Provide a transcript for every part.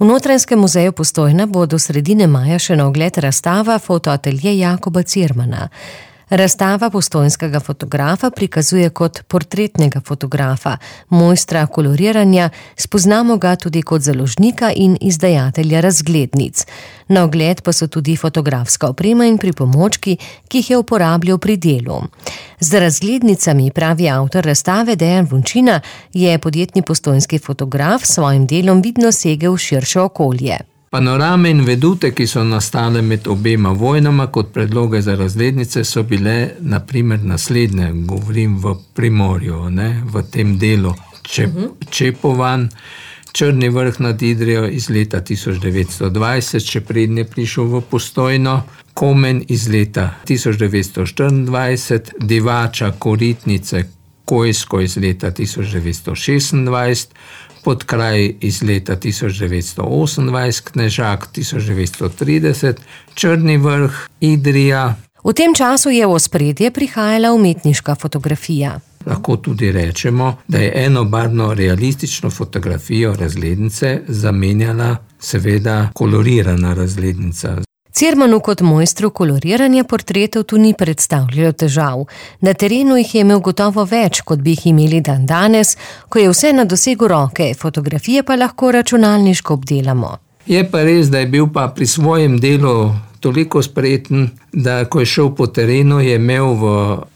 V Notranjskem muzeju Postojna bo do sredine maja še na ogled razstava Fotoatelje Jakoba Cirmana. Razstava postojnskega fotografa prikazuje kot portretnega fotografa, mojstra koloriranja, spoznamo ga tudi kot založnika in izdajatelja razglednic. Na ogled pa so tudi fotografska oprema in pripomočki, ki jih je uporabljal pri delu. Z razglednicami, pravi avtor razstave Dejan Vončina, je podjetni postojnski fotograf s svojim delom vidno segel v širše okolje. Panorame in vedute, ki so nastale med obema vojnama kot predloge za razglednice, so bile na primer naslednje, govorim v Primorju, v tem delu Čepovan, Črni vrh nad Idrijo iz leta 1920, še prednje prišel v Postojno, Komen iz leta 1924, Divača, Koritnice, Kojsko iz leta 1926, Podkraj iz leta 1928, Knežak 1930, Črni vrh, Idrija. V tem času je v ospredje prihajala umetniška fotografija. Lahko tudi rečemo, da je enobarvno realistično fotografijo razglednice zamenjala seveda kolorirana razglednica. Cirmanu kot mojstru koloriranja portretov tu ni predstavljalo težav. Na terenu jih je imel gotovo več, kot bi jih imeli dandanes, ko je vse na dosegu roke, fotografije pa lahko računalniško obdelamo. Je pa res, da je bil pa pri svojem delu toliko spreten, da ko je šel po terenu, je imel v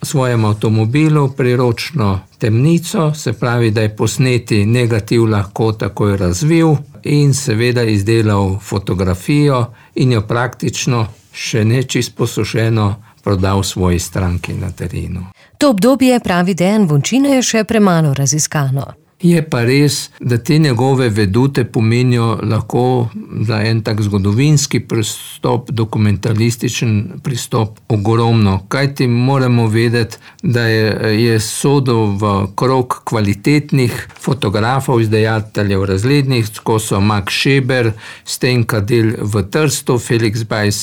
svojem avtomobilu priročno temnico, se pravi, da je posneti negativ lahko takoj razvil in seveda izdelal fotografijo in jo praktično še ne čisto posušeno prodal svoji stranki na terenu. To obdobje, pravi Dejan Vončina, je še premalo raziskano. Je pa res, da te njegove vedute pomenijo lahko za en tak zgodovinski pristop, dokumentalističen pristop ogromno. Kajti moramo vedeti, da je sodil v krog kvalitetnih fotografov, izdajateljev razglednic, ko so Max Scheber, Stenka Del v Trstu, Felix Bajs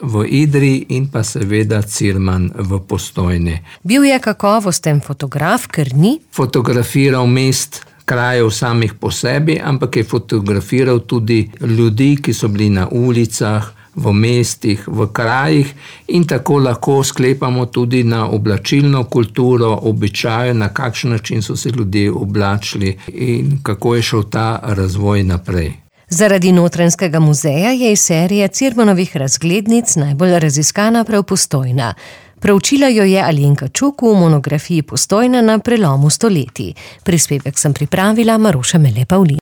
v Idriji in pa seveda Cirman v Postojni. Bil je kakovosten fotograf, ker ni fotografiral mest, krajev samih po sebi, ampak je fotografiral tudi ljudi, ki so bili na ulicah, v mestih, v krajih in tako lahko sklepamo tudi na oblačilno kulturo, običaje, na kakšen način so se ljudje oblačili in kako je šel ta razvoj naprej. Zaradi Notranjskega muzeja je iz serije Cirmanovih razglednic najbolj raziskana prav Postojna. Proučila jo je Alenka Čuk v monografiji Postojna na prelomu stoletij. Prispevek sem pripravila Maruša Mele Pavlin.